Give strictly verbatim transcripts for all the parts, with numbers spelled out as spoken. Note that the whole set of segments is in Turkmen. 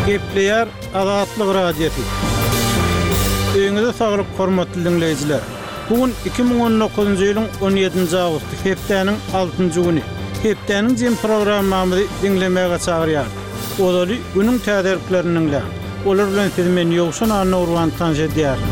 Gepleýär Azatlyk Radiosy. Öýüňize saglyk, hormatly diňleýjiler. Bu gün iki müň on dokuzynjy ýylyň on ýedinji awgusty, hepdäniň altynjy güni. Hepdäniň jem programmamyzy diňlemäge çagyrýarys. Ozaly günüň täzeliklerini diňläň. Olar bilen sizi men Ýowşan Annagurban tanyş edýärin.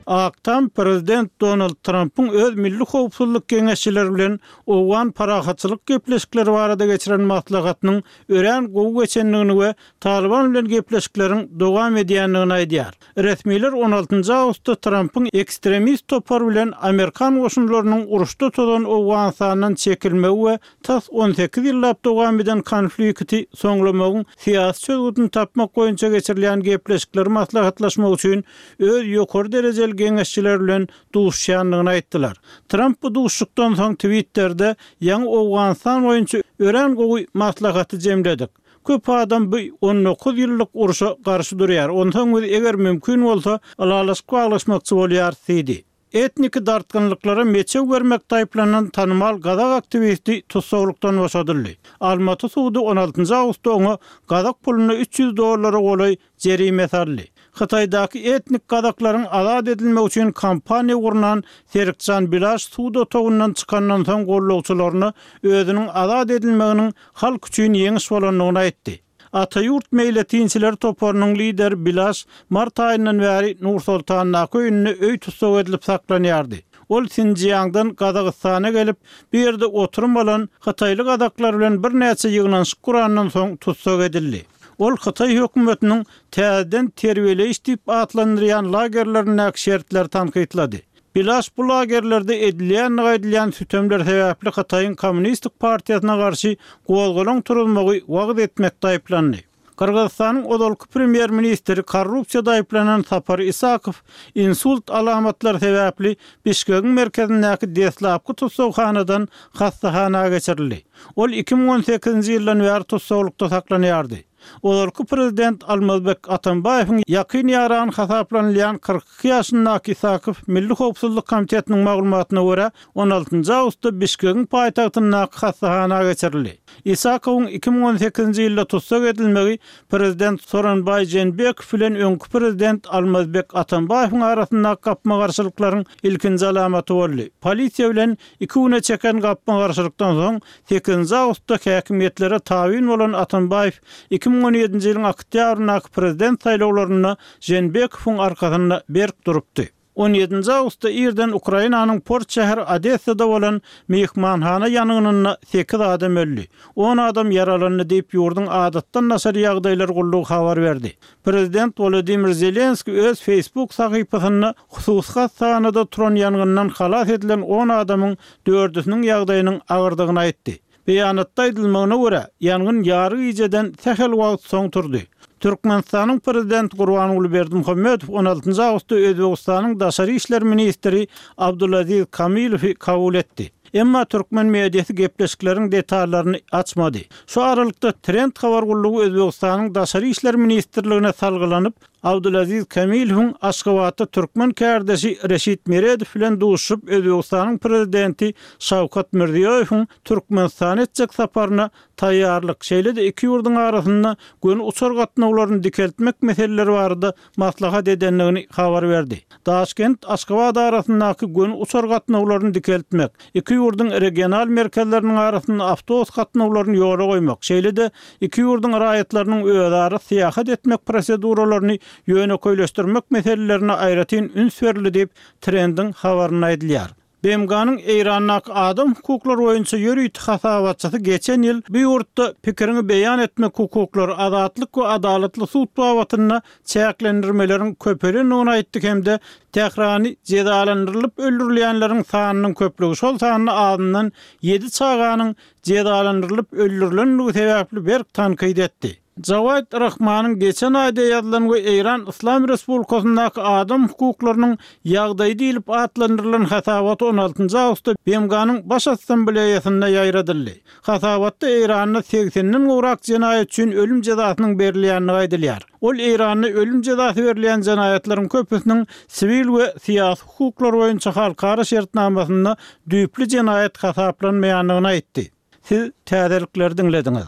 Ak Tam prezident Donald Trampyň öz milli howpsuzlyk geňeşçileri bilen owgan parahatçylyk gepleşikleri barada geçiren maslahatynyň örän gowy geçendigini we Talyban bilen gepleşikleriň dowam edýändigini aýdýar. Resmiler on altynjy awgustda Trampyň ekstremist topar bilen amerikan goşunlarynyň uruşda tozan Owganystandan çekilmegi we tas on sekiz ýyllap dowam eden konflikti soňlamagyň syýasy çözgüdini tapmak boýunça geçirilýän gepleşikleri maslahatlaşmak üçin öz ýokary derejeli geňeşçiler bilen duşuşýandygyny aýtdylar. Tramp bu duşuşykdan soň Twitterде ýaňy Owganystan boýunça örän gowy maslahaty jemledik. Köp adam bu on dokuz ýyllyk urşa garşy durýar. Onsoň biz eger mümkin bolsa ylalaşyk baglaşmakçy bolýar diýdi. Etniki dartgynlyklara meçew bermek taýyplanan tanymal gazak aktiwisti tussaglykdan boşadyldy. Almaty sudy on altynjy awgustda oňa gazak puluna üç ýüz dollara golaý jerime saldy. Hytaýdaky etnik gazaklaryň azat edilmegi üçin kampaniýa gurnan Serikjan Bilaş sud otagyndan çykandan soň gollagçylaryna özüniň azat edilmeginiň halk üçin ýeňiş bolandygyny aýtdy. Ataýurt meýletinçiler toparynyň lideri Bilaş mart aýyndan bäri Nur Sultandaky öýünde öý tussag edilip saklanýardy. Ol Sinjiangdan Gazagystana gelip, bir ýerde oturum alan Hytaýly gazaklar bilen birnäçe ýygnanyşyk gurandan soň tussag edildi. Ol Hytaý hökümetiniň täzeden terbiýeleýiş diýip atlandyrýan lagerlerindäki şertleri tankytlady. Bilaş bu lagerlerde edilýän aýdylýan sütemler sebäpli Hytaýyň Kommunistik partiýasyna garşy gozgalaň turulmagy wagyz etmek taýyplandy. Gyrgyzystanyň ozalky premýer-ministri korrupsiýa daýyplanan Sapar Isakow insult alamatlary sebäpli Bişkegiň merkezindäki deslapky tussaghanadan hastahana geçirildi. Ol iki müň on sekizinji ýyldan bäri tussaglykda saklanýardy. Ozalky prezident Almazbek Atambaýewiň ýakyn ýaran hasaplanylýan kyrk iki ýaşyndaky Isakow Milli Howpsuzlyk Komitetiniň maglumatyna görä on altynjy awgustda Bişkegiň paýtagtyndaky hastahana geçirildi. Isakowyň iki müň on sekizinji ýylda tussag edilmegi prezident Soronbaý Jeenbekow bilen öňki prezident Almazbek Atambaýewiň arasyndaky gapma-garşylyklaryň ilkinji alamaty boldy. Polisiýa bilen iki güne çeken gapma-garşylykdan soň sekizinji awgustda häkimiýetlere tabyn bolan Atambaýew iki müň on ýedinji ýylyň oktýabryndaky prezident saýlawlarynda Jeenbekowyň arkasynda berk durupdy. On ýedinji awgustda irden Ukrainanyň port şäheri Odessada bolan mehmanhana ýangynynda sekiz adam öldi. On adam ýaralandy diýip ýurduň adatdan daşary ýagdaýlar gullugy habar berdi. Prezident Volodymyr Zelenski öz Facebook sahypasynda hususy hastanada turan ýangyndan halas edilen on adamyň dördüsiniň ýagdaýynyň agyrdygyny aýtdy. Beýanatda aýdylmagyna görä, ýangyn ýary gijeden sähel wagt soň turdy. Türkmenistanyň prezident Gurbanguly Berdimuhamedow on altynjy awgustda Özbegistanyň daşary işler ministri Abdulaziz Kamilowy kabul etdi. Emma türkmen mediasy gepleşikleriň detallaryny açmady. Şu aralykda Trend habar gullugy Özbegistanyň daşary işler ministrligine salgylanyp, Abdulaziz Kamilowyň Aşgabatda türkmen kärdeşi Reşit Meredow bilen duşup Özbegistanyň prezidenti Şawkat Mirziýoýewiň Türkmenistana etjek saparyna taýýarlyk, şeýle-de iki ýurduň arasynda göni uçar gatnawlaryny dikeltmek meseleleri barada maslahat edendigini habar berdi. Daşkent Aşgabat arasyndaky göni uçar gatnawlaryny dikeltmek, iki ýurduň regional merkezleriniň arasynda awtobus gatnawlaryny ýola goýmak, şeýle-de iki ýurduň raýatlarynyň özara syýahat etmek proseduralaryny ýönekeýleşdirmek meselelerine aýratyn üns berildi diýip Trendiň habarynda aýdylýar. B M G-nyň Eýrandaky adam hukuklary boýunça ýörite hasabatçysy geçen ýyl bu ýurtda pikirini beýan etmek hukuklary, azatlyk we adalatly sud babatynda çäklendirmeleriň köpelendigini aýtdy hem-de Tährany jezalandyrylyp öldürilýänleriň sanynyň köplügi, şol sanda azyndan ýedi çaganyň jezalandyrylyp öldürilendigi sebäpli berk tankyt etdi. Jawad Rahmanyň geçen aýda ýazylan we Eýran Islam Respublikasyndaky adam hukuklarynyň ýagdaýy diýlip atlandyrylan hasabaty on altynjy awgustda B M G-nyň Baş Assambleýasynda ýaýradyldy. Hasabatda Eýranda segsenden gowrak jenaýat üçin ölüm jezasynyň berilýändigi aýdylýar. Ol Eýranda ölüm jezasy berilýän jenaýatlaryň köpüsiniň siwil we syýasy hukuklar boýunça halkara şertnamasynda düýpli jenaýat hasaplanmaýandygyny aýtdy. Siz täzelikleri diňlediňiz.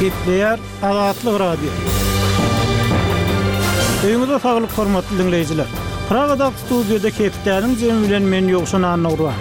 Gepleýär Azatlyk Radiosy. Öýüňize saglyk hormatly diňleýjiler. Pragadaky studiýada hepdäniň jemi bilen men Ýowşan Annagurban.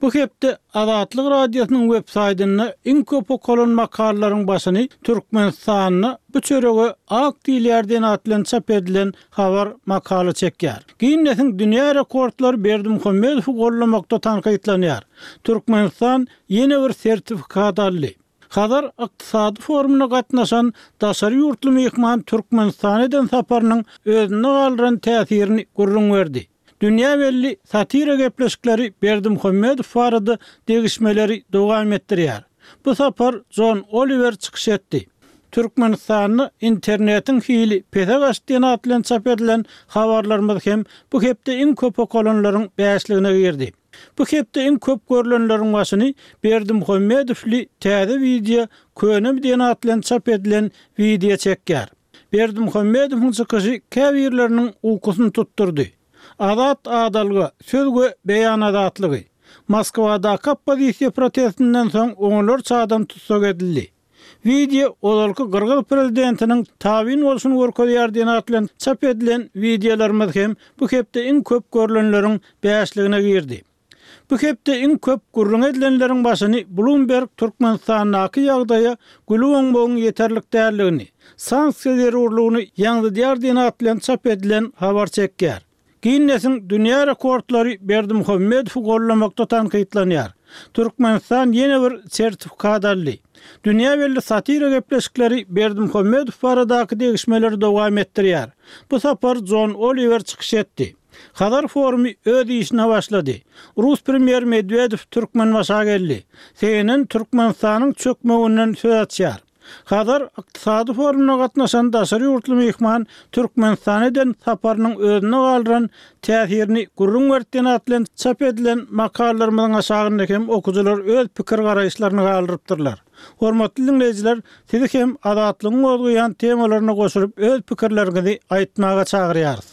Bu hepde Azatlyk Radiosynyň web saýtynda iň köp okalan makalalaryň başyny Türkmenistanda bu çörege ak diýilýär diýen at bilen çap edilen habar makala çekýär. Ginnesiň dünýä rekordlary Berdimuhamedowy gollamakda tankytlanýar. Türkmenistan ýene bir sertifikat aldy. Hazar ykdysady forumyna gatnaşan daşary ýurtly myhman Türkmenistana eden saparynyň özünde galdyran täsirini gürrüň berdi. Dünýä belli satira gepleşikleri Berdimuhamedow barada degişmeleri dowam etdirýär. Bu sapar John Oliver çykyş etdi. Türkmenistanda internetiň hili pese gaçdy diýen at bilen çap edilen habarlarymyz hem bu hepde iň köp okalanlaryň bäşligine girdi. Bu hepde iň köp görülenleriň başyny Berdimuhamedowly täze wideo Könem diýen at bilen çap edilen wideo çekýär. Berdimuhamedowyň çykyşy käbirleriniň ukusyny tutdurdy. Azat adalga, söz we beýan azatlygy. Moskwadaky oppozisiýa protestinden soň onlarça adam tussag edildi. Wideo ozalky Gyrgyz prezidentiniň tabyn bolşuny görkezýär diýen at bilen çap edilen wideolarymyz hem bu hepde iň köp görülenleriň bäşligine girdi. Bu hepde iň köp gürrüň edilenleriň başyny Bloomberg Türkmenistandaky ýagdaýa gülüp oňmagyň ýeterlik däldigini, sanksiýa zerurlygyny ýaňzydýar diýen at bilen çap edilen habar çekýär. Ginnesiň dünýä rekordlary Berdimuhamedowy gollamakda tankytlanýar. Türkmenistan ýene bir sertifikat aldy. Dünýä belli satira gepleşikleri Berdimuhamedow baradaky degişmeleri dowam etdirýär. Bu sapar John Oliver çykyş etdi. Hazar forumy öz işine başlady. Rus premýer Medwedew Türkmenbaşa geldi. C N N Türkmenistanyň çökmeginden söz açýar. Hazar ykdysady forumyna gatnaşan daşary ýurtly myhman Türkmenistana eden saparynyň özünde galdyran täsirini gürrüň berdi diýen at bilen çap edilen makalalarymyzyň aşagynda hem okyjylar öz pikir garaýyşlaryny galdyrypdyrlar. Hormatly diňleýjiler, sizi hem Azatlygyň gozgaýan temalaryna goşulyp öz pikirleriňizi aýtmaga çagyrýarys.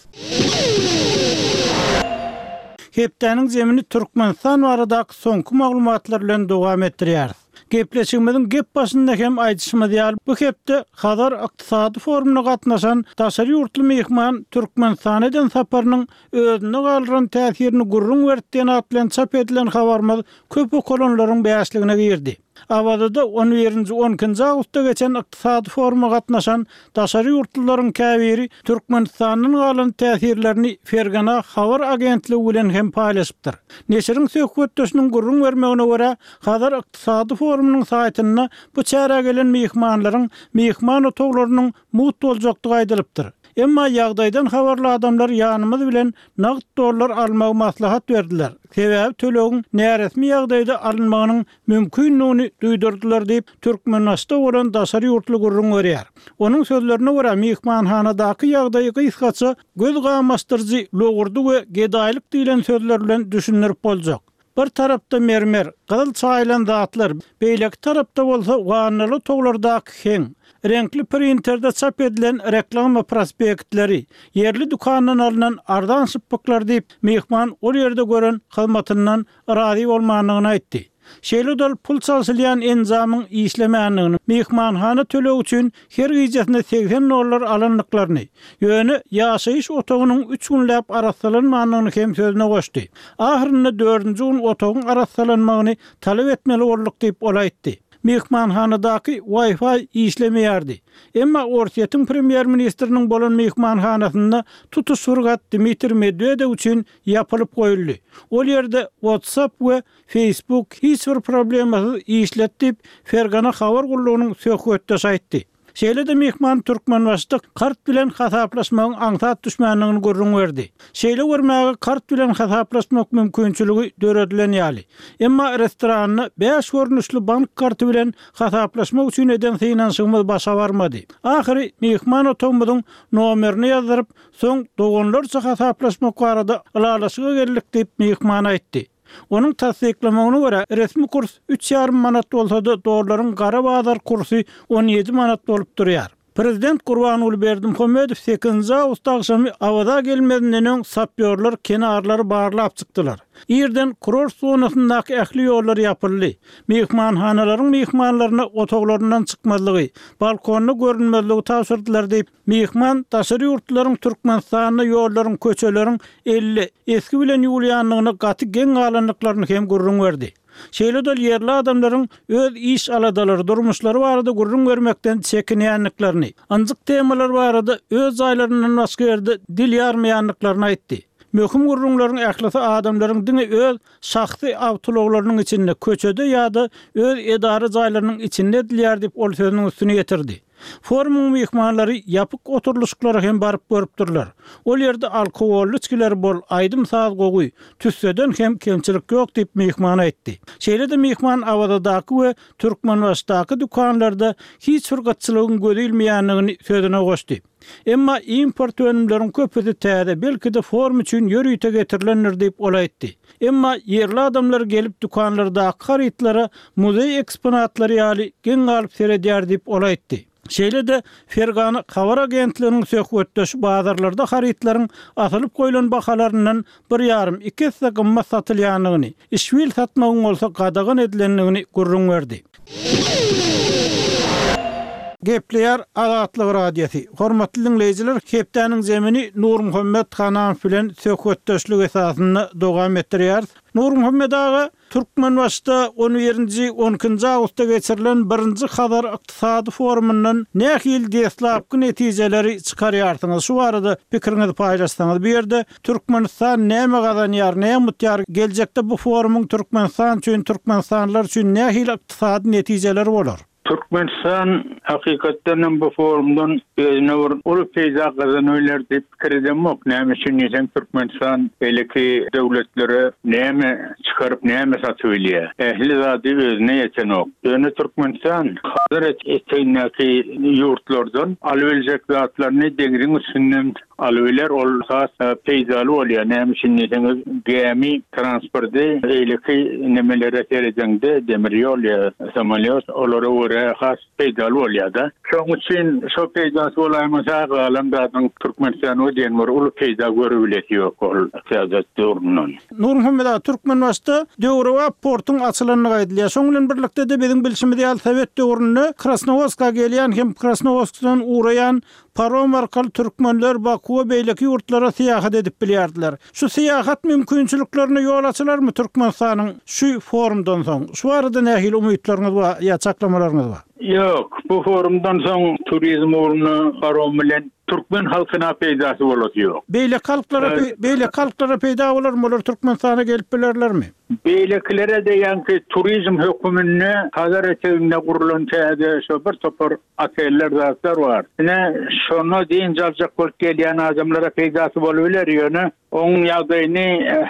Hepdäniň zemini Türkmenistan baradaky soňky maglumatlar bilen dowam etdirýäris. Gepleşigimiziň gep başynda hem aýdyşymyz ýaly, bu hepde Hazar ykdysady forumyna gatnaşan daşary ýurtly myhman Türkmenistana eden saparynyň özünde galdyran täsirini gürrüň berdi diýen at bilen çap edilen habarymyz köp okalanlaryň bäşligine girdi. Awazada on birinji on ikinji awgustda geçen ykdysady foruma gatnaşan daşary ýurtlularyň käbiri Türkmenistandan galan täsirlerini Fergana habar agentligi bilen hem paýlaşypdyr. Neşiriň söhbetdeşiniň gürrüň bermegine görä, Hazar ykdysady forumynyň saýtynda bu çärä gelen myhmanlaryň myhman otaglarynyň mugt boljakdygy aýdylypdyr. Emma ýagdaýdan habarly adamlar ýanymyz bilen nagt dollar almagy maslahat berdiler. Sebäbi tölegiň näresmi ýagdaýda alynmagynyň mümkindigini duýdurdylar diýip, Türkmenbaşyda bolan daşary ýurtly gürrüň berýär. Onuň sözlerine görä, myhmanhanadaky ýagdaýy gysgaça göz gamaşdyryjy logurdy we gedaýlyk diýlen sözler bilen düşündirip boljak. Bir tarapda mermer, gyzyl çaýylan zatlar, beýleki tarapda bolsa wannaly otaglardaky heň, reňkli printerde çap edilen reklama prospektleri, ýerli dükandan alynan arzan şypbyklar diýip, myhman ol ýerde gören hyzmatyndan razy bolmandygyny aýtdy. Şeýle dol pul çalşylýan enjamyň işlemändigini, myhmanhana tölegi üçin her gijesinde segsen dollar alandyklaryny, ýöne ýaşaýyş otagynyň üç günläp arassalanmandygyny hem sözüne goşdy. Ahyrynda dördünji gün otagyň arassalanmagyny talap etmeli bolduk diýip ol aýtdy. Myhmanhanadaky Wi-Fi işlemeýärdi. Emma Orsýetiň premýer-ministriniň bolan myhmanhanasynda tutuş bir gat Dmitriý Medwedew üçin ýapylyp goýuldy. Ol ýerde WhatsApp we Facebook hiç bir problemasyz işlet diýip, Fergana habar gullugynyň söhbetdeşi aýtdy. Şeýle-de myhman Türkmenbaşyda kart bilen hasaplaşmagyň aňsat düşmändigini gürrüň berdi. Şeýle görmäge kart bilen hasaplaşmak mümkinçiligi döredilen ýaly. Emma restoranda bäş görnüşli bank karty bilen hasaplaşmak üçin eden synanyşygymyz başa barmady. Ahyry myhman otagymyzyň nomerini ýazdyryp, soň doganlarça hasaplaşmak barada ylalaşyga geldik diýip myhman aýtdy. Onuň tassyklamagyna görä, resmi kurs üç ýarym manat bolsa-da, dollaryň gara bazar kursy on ýedi manat bolup durýar. Prezident Gurbanguly Berdimuhamedow sekizinji awgust agşamy Awaza gelmezinden öň sapýorlar kenarlary barlap çykdylar. Irden kurort zonasyndaky ähli ýollar ýapyldy. Myhmanhanalaryň myhmanlaryna otaglaryndan çykmazlygy, balkonda görünmezligi tabşyrdylar diýip, myhman daşary ýurtlaryň Türkmenistanda ýollaryň, köçeleriň elli eski bilen ýuwulýandygyny gaty geň galandyklaryny hem gürrüň berdi. Şeýle-de ýerli adamlaryň öz iş aladalary, durmuşlary barada gürrüň bermekden çekinýändiklerini, ynjyk temalar barada öz jaýlaryndan başga ýerde dil ýarmaýandyklaryny aýtdy. Möhüm gürrüňleriň ählisi adamlaryň diňe öz şahsy awtoulaglarynyň içinde, köçede ýa-da öz edara jaýlarynyň içinde edilýär diýip, ol sözüniň üstüni ýetirdi. Forumyň myhmanlary ýapyk oturylyşyklara hem baryp görüpdirler. Ol ýerde alkogolly içgiler bol, aýdym-saz gowy, tüsseden hem kemçilik ýok diýip myhman aýtdy. Şeýle-de myhman Awazadaky we Türkmenbaşydaky dükanlarda hiç bir gytçylygyň gözi ilmeýändigini sözüne goşdy. Emma import önümleriň köpüsi täze, belki-de forum üçin ýörite getirilendir diýip ol aýtdy. Emma ýerli adamlar gelip dükanlardaky harytlara muzeý eksponatlary ýaly geň galyp seredýär diýip ol aýtdy. Şeýle-de Fergana habar agentliginiň söhbetdeşi bazarlarda harytlaryň asylyp goýlan bahalaryndan bir ýarym, iki esse gymmat satylýandygyny, işbil satmagyň bolsa gadagan edilendigini gürrüň berdi. Gepleýär Azatlyk Radiosy. Hormatly diňleýjiler, hepdäniň zemini Nurmuhammet Hanamow bilen söhbetdeşlik esasynda dowam etdirýäris. Nurmuhammet aga, Türkmenbaşyda on birinji, on ikinji awgustda geçirilen birinji Hazar ykdysady forumyndan nähili deslapky netijeleri çykarýarsyňyz? Şu barada pikiriňizi paýlaşsaňyz. Bu ýerde Türkmenistan näme gazanýar, näme utýar? Geljekde bu forumyň Türkmenistan üçin, türkmenistanlylar üçin nähili ykdysady netijeleri bolar? Türkmenistan hakykatdan hem bu forumdan özüne bir uly peýda gazanyp diýip pikir edemok. Näme üçin diýseň, Türkmenistan beýleki döwletlere näme çykaryp, näme satyp bilýär? Ähli zady özüne ýetenok. Ýöne Türkmenistan Hazar etegindäki ýurtlardan alybiljek zatlaryny deňziň üstünden alybiler, ol has peýdaly bolýar. Näme üçin diýseňiz, gämi transporty beýleki nemelere seredeňde demir ýol ýa samolýot olara görä has peýdaly bolýar-da. Şonuň üçin şo peýdasy bolaýmasa galan zadyň Türkmenistan o diýen bir uly peýda görübilesi ýok ol syýasat döwründen. Nurmuhammet aga, Türkmenbaşyda döwrebap portuň açylandygy aýdylýar. Şonuň bilen birlikde-de biziň bilşimiz ýaly Sowet döwründe Krasnowodska gelýän hem Krasnowodskdan ugraýan parom arkaly türkmenler Bakuwa beýleki ýurtlara syýahat edip bilýärdiler. Şu syýahat mümkinçiliklerine ýol açylarmy Türkmenistanyň şu forumdan soň? Şu barada nähili umytlaryňyz bar ýa çaklamalaryňyz bar? Ýok, bu forumdan soň turizm ugruna parom bilen türkmen halkyna peýdasy bolasy ýok. Beýleki halklara beýleki halklara peýda bolarmy? Olar Türkmenistana gelip bilerlermi? Beýlekilere de ýaňky turizm höküminde Hazar eteginde gurulan täze şo bir topar oteller zatlar bar. Ine şona dynç aljak bolup gelýän adamlara peýdasy bolup biler, ýöne oň ýagdaýyny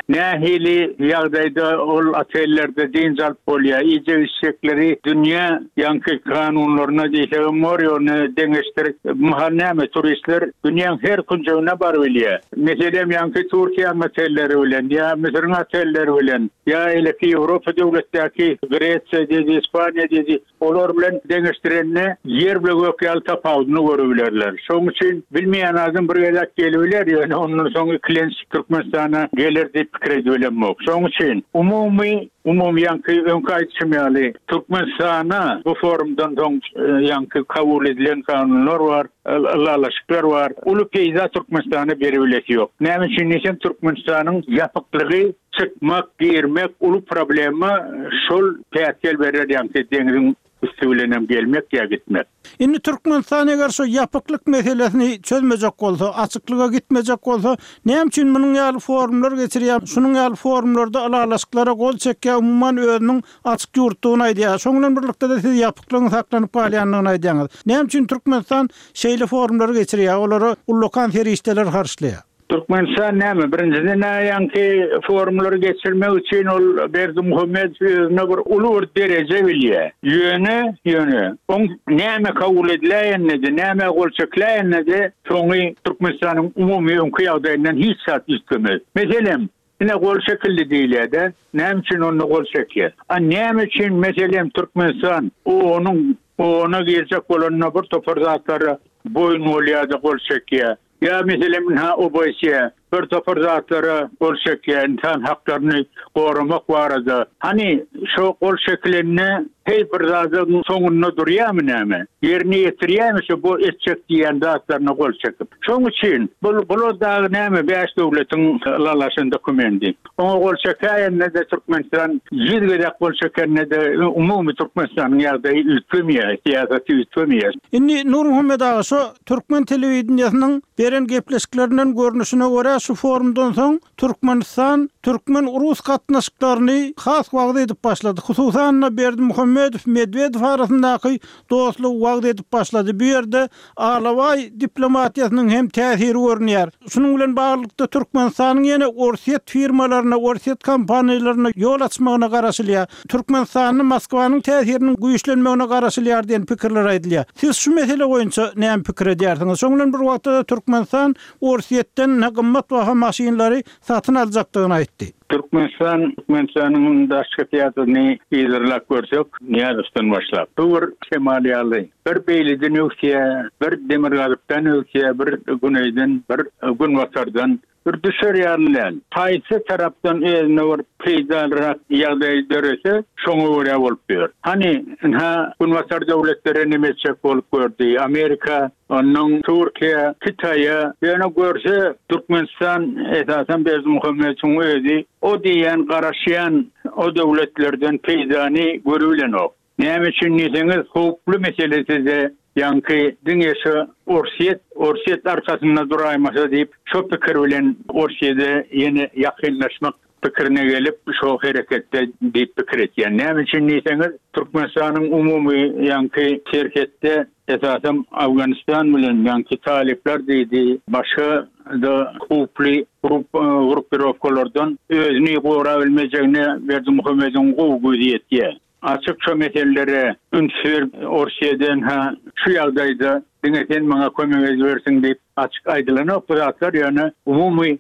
nähili ýagdaýda ol otellerde dynç alyp bolýar, iýjek içjekleri dünýä ýaňky kanunlaryna diýsegem bor, ýöne deňeşdirip mahal näme turistler dünýäň her künjegine baryp bilýär. Meselem ýaňky Türkiýäniň otelleri bilen ýa Müsüriň otelleri bilen ýa eleki Ýewropa döwletdäki Gresiýa diýdi, Ispaniýa diýdi, olar bilen deňeşdirende ýer bilen gök ýaly tapawudyny görübilerler. Şonuň üçin bilmeýän adam bir gezek gelibiler, ýöne ondan soň ikilenç Türkmenistana geler diýip pikir edibilemok. Şonuň üçin umumy, umumy ýaňky öňki aýdyşym ýaly Türkmenistana bu forumdan soň ýaňky kabul edilen kanunlar bar, ylalaşyklar bar. Uly peýda Türkmenistana beribilesi ýok. Näme üçin diýsem, Türkmenistanyň ýapyklygy çykmak, girmek uly problema şol päsgel berer ýaňky deňziň üstü bilen hem gelmek ýa gitmek. Indi Türkmenistan eger şu ýapyklyk meselesini çözmejek bolsa, açyklyga gitmejek bolsa, näme üçin munuň ýaly forumlar geçirýär? Şunuň ýaly forumlarda ylalaşyklara gol çekýär, umuman özüniň açyk ýurtdugyny aýdýar. Şonuň bilen birlikde-de siz ýapyklygyň saklanyp galýandygyny aýdýaňyz. Näme üçin Türkmenistan şeýle forumlary geçirýär, olara ullakan serişdeler harçlaýar? Türkmenistan näme? Birinjiden ýaňky forumlary geçirmek üçin ol Berdimuhamedow özüne bir uly bir dereje bilýär. Ýöne, ýöne, oň näme kabul ediläýenedi, näme gol çekiläýenedi, soňy Türkmenistanyň umumy öňki ýagdaýyndan hiç zat üýtgemez. Meselem, ine gol çekildi diýilýär-de, näme üçin onda gol çekýär? A näme üçin meselem Türkmenistan onuň ona girjek bolanda bir topar zatlara Boýun bolýar-da gol çekýär. Ýa meselem ha O B S E bir topar zatlara gol çekýär, insan haklaryny goramak barada. Hani şo gol çekilenine hey bir zadyň soňunda durýarmy näme? Ýerine ýetirýärmi şu bu etjek diýen zatlaryna gol çekip. Şoň üçin bu bular dagy näme bäş döwletiň ylalaşan dokumendi. Oňa gol çekäýende de Türkmenistan ýüz gezek gol çekende de umumy Türkmenistanyň ýagdaýy üýtgemeýär, syýasaty üýtgemeýär. Indi Nurmuhammet aga, şu türkmen telewideniýesiniň beren gepleşiklerinden görnüşine görä şu forumdan soň Türkmenistan türkmen-rus gatnaşyklaryny has wagyz edip başlady. Hususan Berdimuhamedow Medwedew arasyndaky dostlugy wagyz edip başlady. Bu ýerde alabaý diplomatiýasynyň hem täsiri görünýär. Şunuň bilen baglylykda Türkmenistanyň ýene Orsýet firmalaryna, Orsýet kompaniýalaryna ýol açmagyna garaşylýar. Türkmenistanyň Moskwanyň täsiriniň güýçlenmegine garaşylýar diýen pikirler aýdylýar. Siz şu mesele boýunça näme pikir edýärsiňiz? Şonuň bilen bir wagtda Türkmenistan Orsýetden ne gymmat baha maşynlary satyn aljakdygyny aýtdy. Türkmenistan, Türkmenistanyň daşky syýasatyny yzarlap görsek, Nyýazowdan başlap. Bu bir şemal ýaly. Bir beýleden öwsýär, bir demirgazykdan öwsýär, bir güneýden, bir günbatardan bir düşer ýaly däl. Haýsy tarapdan özüne bir peýdalyrak ýagdaý dörese, şoňa görä bolup ýör. Hani ha günbatar döwletleri neme etjek bolup gördi. Amerika, ondan Türkiýe, Hytaýa, ýöne görse Türkmenistan esasen Berdimuhamedowyň özi o diýen garaşýan o döwletlerden peýdany görübilenok. Näme üçin diýseňiz, howply meselesi de ýaňky diňe şu Orsýet, Orsýet arkasynda duraýmasa diýip, şo pikir bilen Orsýede ýene ýakynlaşmak pikirine gelip, şo hereketde diýip pikir etýän. Näme üçin diýseňiz, Türkmenistanyň umumy ýaňky serhetde esasen Afganistan bilen ýaňky talyplar diýdi, başga da howply grup gruppirovkalardan özüni gora bilmejegine Berdimuhamedowyň gowy gözi ýetýär. Açyk şu meselelere üns berip Orsýeden ha şu ýagdaýda diňe sen maňa kömek edibersin diýip açyk aýdylanok bu zatlar, ýöne umumy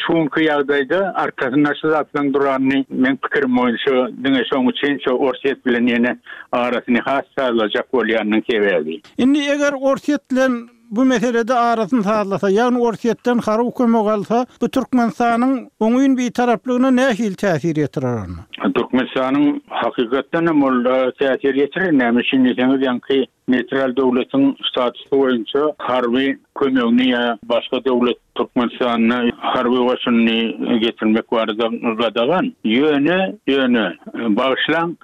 şuňky ýagdaýda arkasynda şu zatlaryň duranyny men pikirim boýunça diňe şoň üçin şu Orsýet bilen ýene arasyny has sazlajak bolýanynyň sebäbi. Indi eger Orsýet bilen bu meselede arasyny sazlasa, ýagny Orsýetden harby kömek alsa, bu Türkmenistanyň oňyn bir taraplygyna nähili täsir ýetirer onda? Türkmenistanyň hakykatdan hem ol täsir ýetirer. Näme üçin diýseňiz, ýaňky neutral döwletiň statusy boýunça harby kömegini ýa başga döwlet Türkmenistanyna harby goşunyny getirmek barada gadagan. Ýöne, ýöne bagyşlaň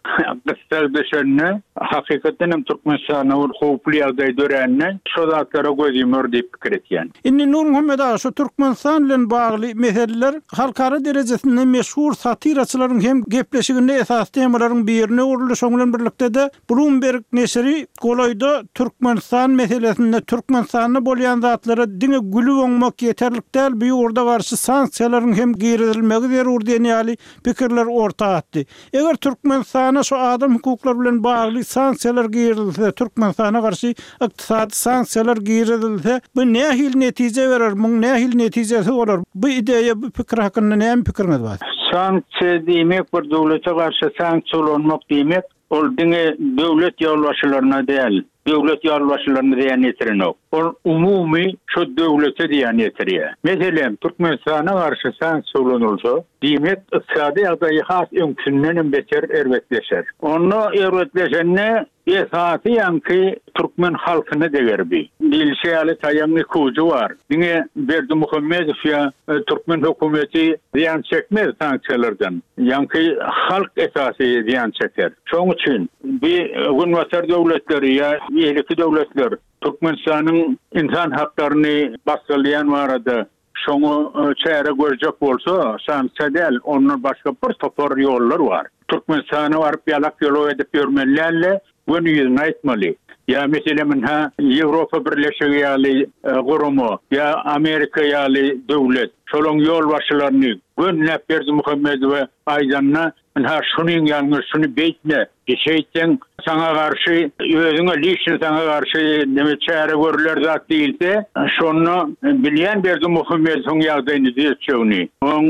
gysga düşende hakykatdan hem Türkmenistana bir howply ýagdaý dörände şo zatlara göz ýumar diýip pikir etýän. Indi Nurmuhammet aga, şu Türkmenistan bilen bagly meseleler halkara derejesinde meşhur satiraçylaryň hem gepleşiginde esas temalaryň birine öwrüldi. Şoň bilen birlikde de Bloomberg neşiri golaýda Türkmenistan meselesinde Türkmenistanda bolýan zatlara diňe gülüp oňmak ýeterlik däl, bu ýurda garşy sanksiýalaryň hem girizilmegi zerur diýen ýaly pikirler orta atdy. Eger Türkmenistana şu adam hukuklary bilen bagly sanksiýalar girizilse, Türkmenistana garşy ykdysady sanksiýalar girizilse, bu nähili netije berer, muň nähili netijesi bolar? Bu ideýa, bu pikir hakynda näme pikiriňiz bar? Sanksiýa diýmek bir döwlete garşy sanksiýa ulanmak diýmek, ol diňe döwlet ýolbaşçylaryna däl, döwlet ýolbaşçylaryna diýen ýetirenok. Ol umumy şu döwlete diýen ýetirýär. Meselem, Türkmenistana garşy sanksiýa ulanylsa, diýmek ykdysady ýagdaýy has öňküsinden hem beter erbetleşer. Onda erbetleşende esasy ýaňky türkmen halkyna deger bi. Diýilişi ýaly taýaň iki ujy bar. Diňe Berdimuhamedow ýa türkmen hökümeti zyýan çekmez sanksiýalardan. Ýaňky halk esasy zyýan çeker. Şoň üçin bi günbatar döwletleri ýa beýleki döwletler Türkmenistanyň insan haklaryny basgylaýan barada şoňa çäre görjek bolsa, sanksiýa däl, ondan başga bir topar ýollar bar. Türkmenistana baryp ýalak ýolak edip ýörmeli däl-de, göni ýüzüne aýtmaly. Ýa meselem ha Ýewropa Birleşigi ýaly gurama, ýa Amerika ýaly döwlet, şolaryň ýolbaşçylaryny gönläp Berdimuhamedowa aýdanda Ynha şunyň ýalňyş, şuny beýtme, şeýtseň saňa garşy özüňe lişni saňa garşy neme çäre görüler zat diýilse, şonda bilýän Berdimuhamedowyň ýagdaýyny düzetjegini. Oň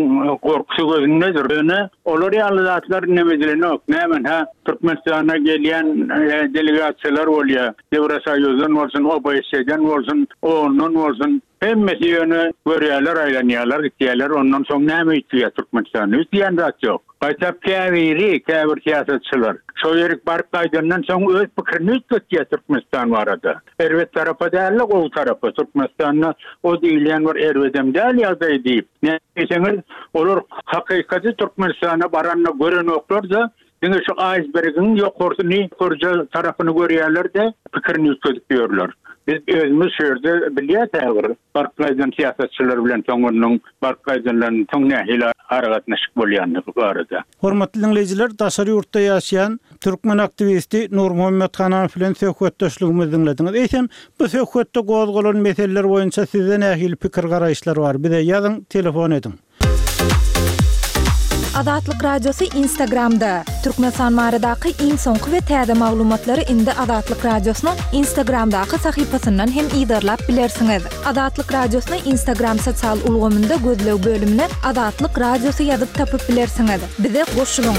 gorkusy gözündedir. Ýöne olar ýaly zatlar neme edilenok. Näme ha Türkmenistana gelýän delegasiýalar bolýar. Ýewrosoýuzdan bolsun, O B S E'den bolsun, ondan bolsun. Hemmesi ýöne görýärler, aýlanýarlar, gitýärler. Ondan soň näme üýtgeýär Türkmenistanda? Üýtgeýän zat ýok. Gaýtap käbiri, käbir syýasatçylar şo ýerik baryp gaýdandan soň öz pikirini üýtgetýär Türkmenistan barada. Erbet tarapa däl-de, gowy tarapa. Türkmenistanda o diýilýän bir erbedem däl ýagdaý diýip. Näme diýseňiz, olar hakykaty Türkmenistana baranda görenoklar-da, diňe şu aýsbergiň ýokarsyny, ýokarja tarapyny görýärler-de, pikirini üýtgedip ýörler. Biz özümiz şu ýerde bilýäs häzir baryp gaýdan syýasatçylar bilen soňunyň baryp gaýdanlaryň soň nähili aragatnaşyk bolýandygy barada. Hormatly dinleýjiler, daşary ýurtda ýaşaýan türkmen aktiwisti Nurmuhammet Hananow bilen söhbetdeşligimizi diňlediňiz. Eýsem, bu söhbetde gozgalan meseleler boýunça sizde nähili pikir garaýyşlar bar? Bize ýazyň, telefon ediň. Azatlyk Radiosy Instagramda. Türkmenistan baradaky iň soňky we täze maglumatlary indi Azatlyk Radiosynyň Instagramdaky sahypasyndan hem yzarlap bilersiňiz. Azatlyk Radiosyny Instagram sosial ulgamynda gözleg bölümine Azatlyk Radiosy ýazyp tapyp bilersiňiz. Bize goşulyň.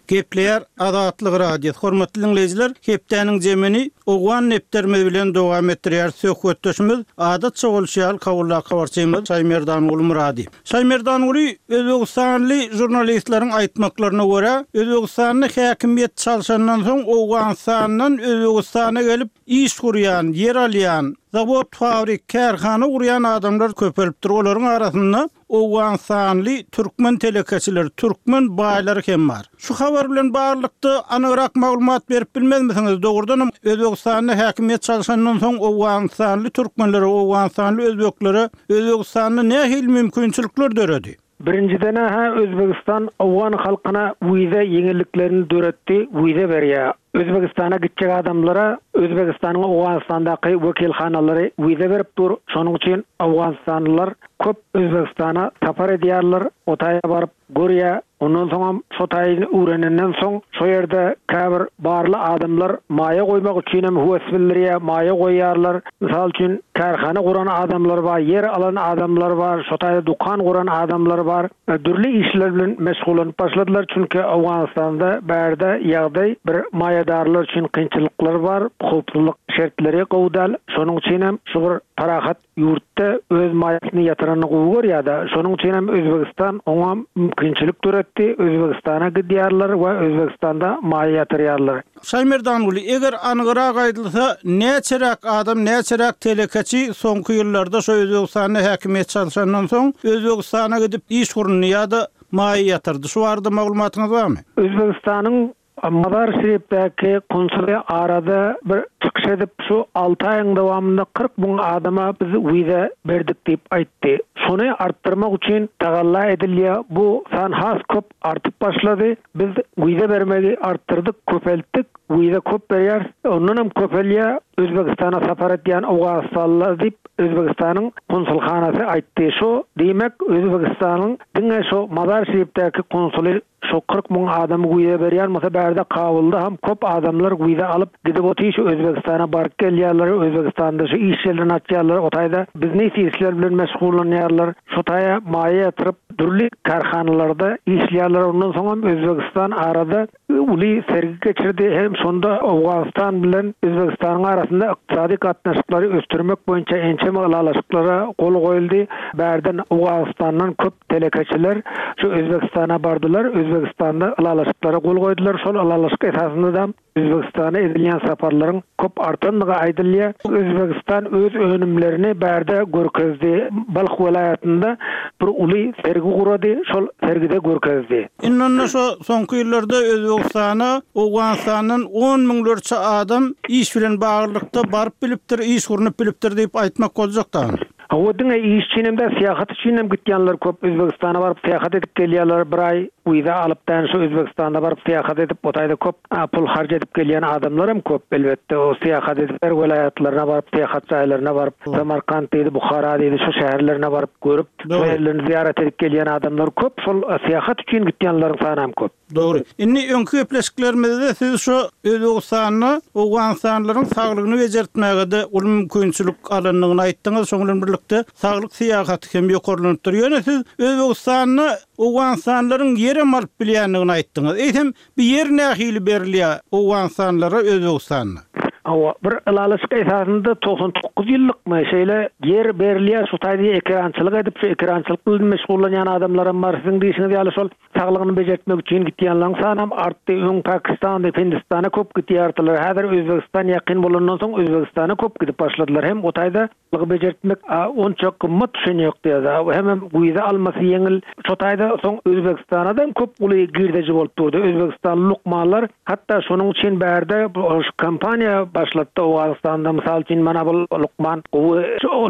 Gepleýär Azatlyk Radiosy. Hormatly dinleýjiler, hepdäniň jemini Owgan depderimiz bilen dowam etdirýär. Söhbetdeşimiz adatça bolşy ýaly Kabuldaky habarçymyz Şaýmerdanguly Murady. Şaýmerdanguly, Özbegistanly žurnalistleriň aýtmaklaryna görä, Özbegistanda häkimiýet çalşandan soň Owganystandan Özbegistana gelip iş gurýan, ýer alýan, zawod, fabrik, kärhana gurýan adamlar köpelipdir. Olaryň arasynda Owganystanly türkmen telekeçileri, türkmen baýlary hem bar. Şu habar bilen baglylykda anygrak maglumat berip bilmezmisiňiz? Dogrudanam Özbegistanda häkimiýet çalşandan soň Owganystanly türkmenlere, Owganystanly özbeklere Özbegistanda nähili mümkinçilikler döredi? Birinjiden ha Özbegistan Owgan halkyna wiza ýeňilliklerini döretdi, wiza berýär. Özbegistana gitjek adamlara Özbegistanyň Owganystandaky wekilhanalary wiza berip dur. Şonuň üçin Owganystanlylar köp Özbegistana sapar edýärler, o taýa baryp görýär. Ondan soňam şo taýyny öwrenenden soň şo ýerde käbir barly adamlar maýa goýmak üçin hem höwes bildirýär, maýa goýýarlar. Mysal üçin kärhana guran adamlar bar, ýer alan adamlar bar, şo taýda dukan guran adamlar bar. Dürli işler bilen meşgullanyp başladylar çünki Owganystanda bärde ýagdaý bir maýadarlar üçin kynçylyklar bar, howpsuzlyk şertleri gowy däl. Şonuň üçin hem şu bir parahat ýurtda öz maýasyny ýatyranyny gowy görýär-de. Şonuň üçin hem Özbegistan oňa mümkinçilik döretdi. Özbegistana gidýärler we Özbegistanda maýa ýatyrýarlar. Şaýmerdanguly, eger anygrak aýdylsa, näçeräk adam, näçeräk telekeçi soňky ýyllarda şu Özbegistanda häkimiýet çalşandan soň Özbegistana gidip iş gurundy ýa-da maýa ýatyrdy. Şu barada maglumatyňyz barmy? Özbegistanyň Mazar Şerifdäki konsuly arada bir çykyş edip şu alty aýyň dowamynda kyrk müň adama biz wiza berdik diýip aýtdy. Şony artdyrmak üçin tagalla edilýär. Bu san has köp artyp başlady. Biz wiza bermegi artdyrdyk, köpeltdik. Wiza köp berýär. Ondan hem köpelýär. Özbegistana sapar edýän Owganystanlylar diýip Özbegistanyň konsulhanasy aýtdy. Şu diýmek Özbegistanyň diňe şu Mazar Şerifdäki konsuly şu kyrk müň adamy wiza berýän bolsa, bärde Kabulda hem köp adamlar wiza alyp gidip otyr şu Özbegistana baryp gelýärler, Özbegistanda şu iş ýerlerini açýarlar, o taýda biznes işler bilen meşgullanýarlar. Şu taýa maýa ýatyryp dürli kärhanalarda işleýärler. Ondan soň hem Özbegistan arada uly sergi geçirdi. Hem şonda Owganystan bilen Özbegistanyň arasynda ykdysady gatnaşyklary ösdürmek boýunça ençeme ylalaşyklara gol goýuldy. Bärden Owganystandan köp telekeçiler şu Özbegistana bardylar. Özbegistanda ylalaşyklara gol goýdular. Şol ylalaşyk esasynda da Özbegistana edilýän saparlaryň köp artandygy aýdylýar. Özbegistan öz önümlerini bärde görkezdi. Balh welaýatynda bir uly sergi gurady. Şol sergide görkezdi. Indi onda şu soňky ýyllarda Özbegistana Owganystandan on müňlerçe adam iş bilen baglylykda baryp bilipdir, iş gurunyp bilipdir diýip aýtmak boljak da. Hawa, diňe iş üçin hem-de syýahat üçin hem gitýänler köp. Özbegistana baryp syýahat edip gelýärler bir aý wiza alyp dän şu Özbegistanda baryp syýahat edip, o taýda köp pul harç edip gelýän adamlar hem köp elbetde. O syýahat edip her welaýatlaryna baryp, syýahat jaýlaryna baryp, Samarkant diýdi, Buhara diýdi, şu şäherlerine baryp görüp, şu ýerlerini zyýarat edip gelýän adamlar köp. Şol syýahat üçin gitýänleriň sany hem köp. Dogry. Indi öňki gepleşiklerimizde siz şu Özbegistanda Owganystanlylaryň saglygyny bejertmäge-de uly mümkinçilik alandygyny aýtdyňyz. Şonuň bilen birlikde saglyk syýahaty hem ýokarlanypdyr. Ýöne siz Özbegistanda Owganystanlylaryň ýerem alyp bilýändigini aýtdyňyz. Eýsem, bu ýer nähili berilýär Owganystanlylara Özbegistanda? Hawa, bir ylalaşyk esasynda togsan dokuz ýyllykmy şeýle ýer berilýär, şu taýda ekerançylyk edip, şu ekerançylyk bilen meşgullanýan adamlaram bar. Siziň diýşiňiz ýaly şol saglygyny bejertmek üçin gitýänleriň sanam artdy. Öň Pakistanda, Hindistana köp gitýärdiler. Häzir Özbegistan ýakyn bolandan soň Özbegistana köp gidip başladylar. Hem o taýda saglygy bejertmek onça gymmat düşen ýok diýýär. Hemem wiza almasy ýeňil. Şo taýda soň Özbegistanadan köp uly girdeji bolup durdy. Özbegistanly lukmanlar hatda şonuň üçin bärde şu kompaniýa başlatdy Owganystanda. Mysal üçin mana bu lukman gowy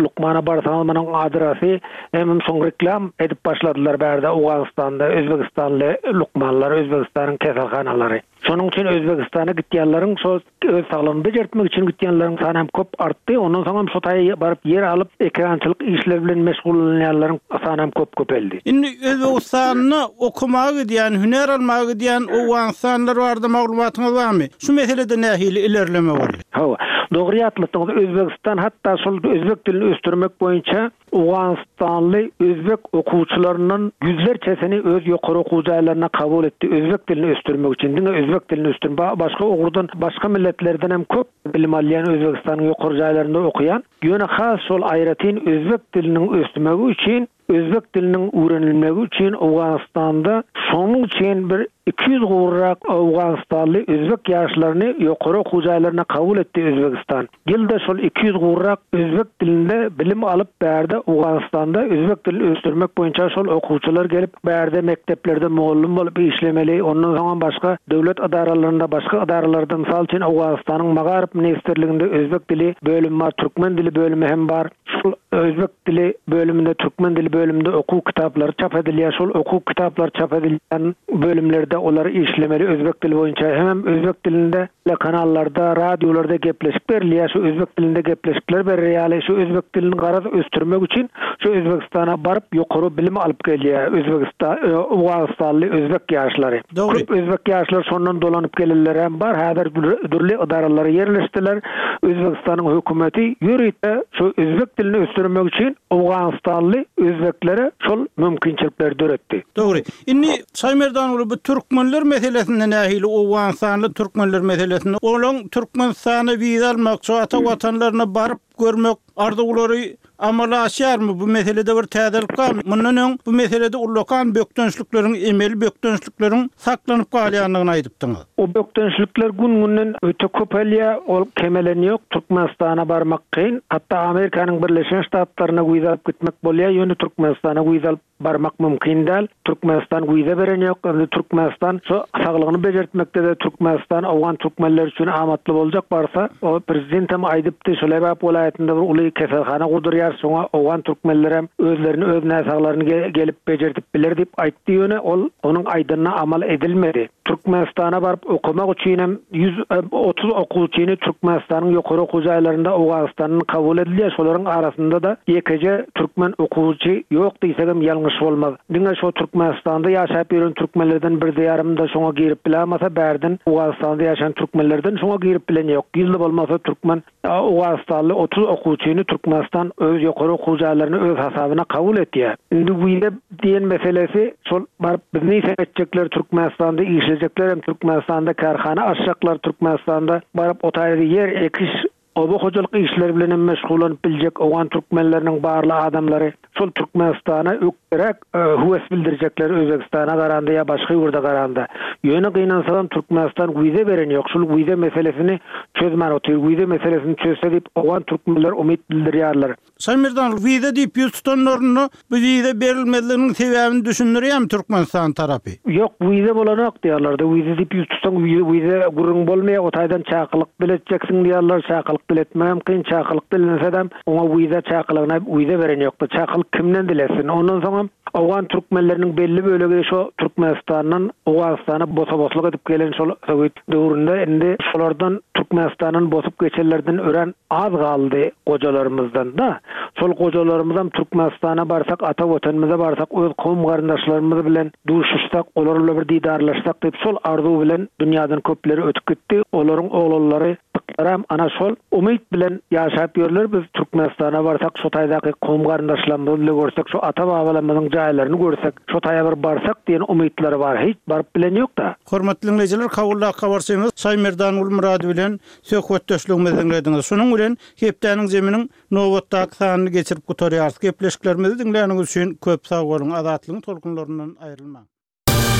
lukmana barsaňyz munuň adresi hemem şoň reklam edip başladylar bärde Owganystanda Özbegistanly lukmanlar, Özbegistanyň keselhanalary. Şonuň üçin Özbegistana gitýänleriň şol öz saglygyny bejertmek üçin gitýänleriň sany hem köp artdy. Ondan soň hem şo taýa baryp ýer alyp ekerançylyk işleri bilen meşgullanýanlaryň sany hem köp köpeldi. Indi Özbegistanda okamaga gidýän, hünär almaga gidýän Owganystanlylar barada maglumatyňyz barmy? Şu meselede nähili ilerleme boldy? Hawa, dogry ýatlatdyňyz. Özbegistan hatda şol özbek dilini ösdürmek boýunça Owganystanly özbek okuwçylaryndan ýüzlerçesini öz ýokary okuw jaýlaryna kabul etdi. Özbek dilini ösdürmek üçin, diňe özbek dilini ösdürmek, başga ugurdan, başga milletlerden hem köp bilim alýan Özbegistanyň ýokary jaýlarynda okaýan, ýöne has şol aýratyn özbek diliniň ösmegi üçin, özbek diliniň öwrenilmegi üçin Owganystanda şonuň üçin bir iki ýüz gowrak Owganystanly özbek ýaşlaryny ýokary okuw jaýlaryna kabul etdi Özbegistan. Ýylda şol iki ýüz gowrak özbek dilinde bilim alyp bärde Owganystanda özbek dilini ösdürmek boýunça şol okuwçylar gelip bärde mekdeplerde mugallym bolup işlemeli, ondan soň başga döwlet edaralarynda, başga edaralarda, mysal üçin Owganystanyň Magaryf ministrliginde özbek dili bölümi bar, türkmen dili bölümi hem bar. Şol özbek dili bölüminde, türkmen dili bölüminde okuw kitaplary çap edilýär. Şol okuw kitaplary çap edilýän bölümlerde olar işlemeli özbek dili boýunça. Hem özbek dilinde kanallarda, radiolarda gepleşik berilýär. Şu özbek dilinde gepleşikler berilýär. Şu özbek dilini garaz ösdürmek üçin şu Özbegistana baryp ýokary bilim alyp gelýär Özbegistan, Owganystanly özbek ýaşlary. Dogry. Köp özbek ýaşlar şondan dolanyp gelenler hem bar. Häzir dürli edaralara ýerleşdiler. Özbegistanyň hökümeti ýörite şu özbek dilini ösdürmek üçin Owganystanly özbeklere şol mümkinçilikleri döretdi. Dogry. Indi Şaýmerdan bu türkmenler meselesinde nähili Owganystanly türkmenler meselesinde olaň Türkmenistana wiza almak, şu ata watanlaryna baryp görmek arzuwlary amala aşýarmy? Bu meselede bir täzelik barmy? Mundan öň bu meselede ullakan bökdençlikleriň, emeli bökdençlikleriň saklanyp galýandygyny aýdypdyňyz. O bökdençlikler gün-günden öte köpelýär, ol kemelen ýok. Türkmenistana barmak kyn. Hatda Amerikanyň Birleşen Ştatlaryna wiza alyp gitmek bolýar, ýöne Türkmenistana wiza alyp barmak mümkin däl. Türkmenistan wiza beren ýok. Indi Türkmenistan şu saglygyny bejertmekde de Türkmenistan Owgan türkmenler üçin amatly boljak barsa, o prezident hem aýdypdy, şu Lebap welaýatynda bir uly keselhana gurdurýar, şoňa Owgan türkmenler hem özlerini, öz näsaglaryny ge-, gelip bejertip biler diýip aýtdy, ýöne ol onuň aýdanyna amal edilmedi. Türkmenistana baryp okamak üçin hem ýüz otuz okuwçyny Türkmenistanyň ýokary okuw jaýlarynda Owganystanyň kabul edilýär. Şolaryň arasynda da ýekeje türkmen okuwçy ýok diýsek hem ýalňyş bolmaz. Diňe şo Türkmenistanda ýaşap ýören türkmenlerden bir diýarymda şoňa girip bilemese, bärden Owganystanda ýaşan türkmenlerden şoňa girip bilen ýok. Ýylda bolmasa türkmen Owganystanly otuz okuwçyny Türkmenistan öz ýokary okuw jaýlaryny öz hasabyna kabul etýär. Indi wiza diýen meselesi şol baryp biznes etjekler Türkmenistanda işlejekler hem Türkmenistanda kärhana açjaklar Türkmenistanda baryp o taýda ýer ekiş oba hojalyk işleri bilen hem meşgullanyp biljek Owgan türkmenleriniň barly adamlary şol Türkmenistana ökderek, e, höwes bildirjekler Özbegistana garanda ýa başga ýurda garanda. Ýöne gynansam Türkmenistan wiza beren ýok. Şol wiza meselesini çözmän otyr. Wiza meselesini çözse diýip Owgan türkmenler umyt bildirýärler. Şaýmerdan, wiza diýip ýüz tutanlarynda bu wiza berilmezliginiň sebäbini düşündirýärmi Türkmenistan tarapy? Ýok, wiza bolanok diýýärler-de. Wiza diýip ýüz tutsaň, wiza gürrüň bolmaýar, o taýdan çakylyk diletjeksiň diýýärler, çakylyk diletmegem kyn, çakylyk dilensedem, oňa wiza çakylygyna wiza beren ýok-da, çakylyk kimden diletsin? Ondan soňam owgan türkmenleriniň belli bölegi şo Türkmenistandan Owganystana bosa-boslyk edip gelen şol sowet döwründe indi şolardan Türkmenistandan bosup geçenlerden örän az galdy gojalarymyzdan-da. Şol gojalarymyzam Türkmenistana barsak, ata Watanymyza barsak, öz kowum-garyndaşlarymyz bilen duşuşsak, olar bilen bir didarlaşsak diýip şol arzuw bilen dünýadan köpleri ötüp gitdi. Olaryň oglanlary Gyzlaram ana şol umyt bilen ýaşap ýörler. Biz Türkmenistana barsak, şo taýdaky kowum-garyndaşlarymyzy bile görsek, şo ata-babalarymyzyň jaýlaryny görsek, şo taýa bir barsak diýen umytlary bar. Hiç baryp bilen ýok-da. Hormatly diňleýjiler, Kabuldaky habarçymyz Şaýmerdan Gulmyrady bilen söhbetdeşligimizi diňlediňiz. Şunuň bilen hepdäniň zeminiň nobatdaky sanyny geçirip gutarýarys. Gepleşiklerimizi diňläniňiz üçin köp sag boluň. Azatlygyň tolkunlaryndan aýrylmaň.